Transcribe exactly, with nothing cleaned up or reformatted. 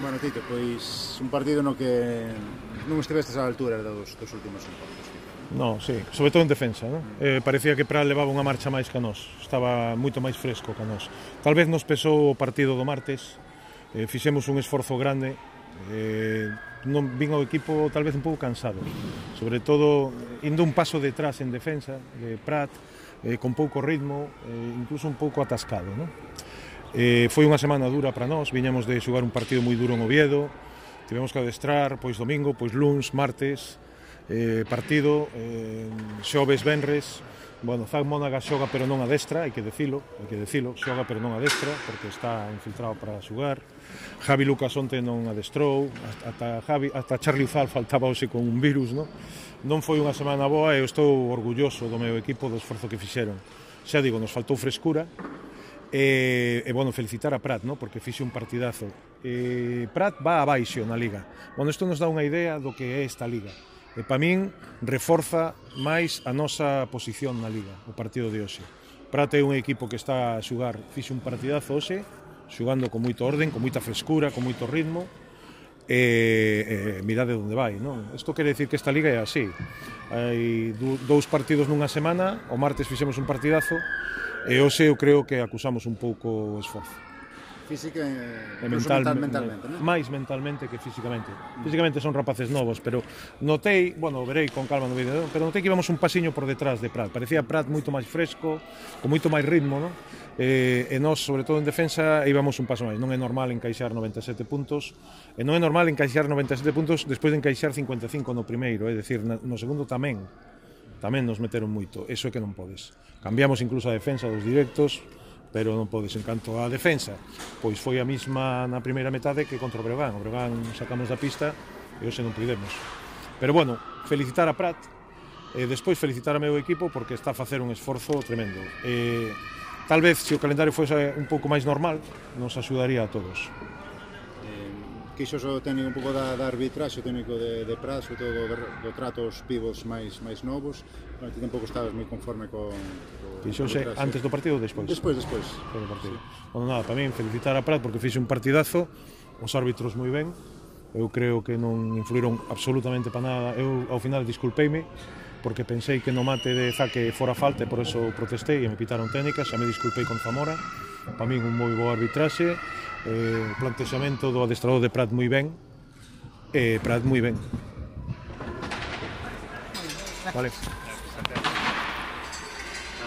Bueno, Tito, pois un partido no que non estivestes á altura dos, dos últimos encontros. No, sí, sobre todo en defensa, ¿no? eh, parecía que Prat levaba unha marcha máis que a nós, estaba moito máis fresco que a nós. Tal vez nos pesou o partido do martes, eh, fixemos un esforzo grande, eh, non vin ao equipo tal vez un pouco cansado, sobre todo indo un paso detrás en defensa de Prat, eh, con pouco ritmo, eh, incluso un pouco atascado, ¿no? Eh, foi unha semana dura para nós, viñamos de xogar un partido moi duro en Oviedo, tivemos que adestrar, pois domingo, pois luns, martes, eh, partido, eh, xoves, venres, bueno, Zach Monaga xoga pero non adestra, hai que decilo, hai que decilo, xoga pero non adestra, porque está infiltrado para xogar, Javi Lucas onte non adestrou, ata, Javi, ata Charlie Uzal faltaba hoxe con un virus, no? Non foi unha semana boa e eu estou orgulloso do meu equipo, do esforzo que fixeron. Xa digo, nos faltou frescura, E, e bueno, felicitar a Prat, ¿no? Porque fixe un partidazo. E, Prat va abaixo na Liga. Bueno, isto nos dá unha idea do que é esta Liga. E para min reforza máis a nosa posición na Liga, o partido de hoxe. Prat é un equipo que está a xugar, fixe un partidazo hoxe, xugando con moito orden, con moita frescura, con moito ritmo. E, e mirade onde vai, non? Isto quere decir que esta Liga é así. Hai dous partidos nunha semana, o martes fixemos un partidazo, e hoxe eu creo que acusamos un pouco o esforzo. Física e mental, mentalmente, non? Máis mentalmente que físicamente. Físicamente son rapaces novos, pero notei, bueno, verei con calma no vídeo, pero notei que íbamos un pasiño por detrás de Prat. Parecía Prat moito máis fresco, con moito máis ritmo, non? E, e nós, sobre todo en defensa, íbamos un paso máis. Non é normal encaixar noventa e sete puntos, e non é normal encaixar noventa e sete puntos despois de encaixar cincuenta e cinco no primeiro, é dicir, no segundo tamén. Tamén nos meteron moito, eso é que non podes. Cambiamos incluso a defensa dos directos, pero non podes. En canto a defensa, pois foi a mesma na primeira metade que contra o Breogán. O Breogán sacamos da pista e hoxe non pudemos. Pero bueno, felicitar a Prat, e despois felicitar a meu equipo porque está a facer un esforzo tremendo. E, tal vez, se o calendario fose un pouco máis normal, nos axudaría a todos. Quixos o técnico un pouco da, da arbitraxe, o técnico de, de Prat, sobre todo do, do trato aos pivos máis, máis novos. Bueno, ti tampouco estabas moi conforme con... Quixose antes do partido ou despois? Despois, despois. Do partido. Sí. Bueno, nada, para min felicitar a Prat porque fixe un partidazo, os árbitros moi ben, eu creo que non influíron absolutamente para nada, eu ao final disculpeime, porque pensei que no mate de Zaque fora falta e por eso protestei e me pitaron técnicas, xa me disculpei con Zamora, para min un moi bo arbitraxe, eh, plantexamento do adestrador de Prat moi ben, e Prat moi ben. Vale.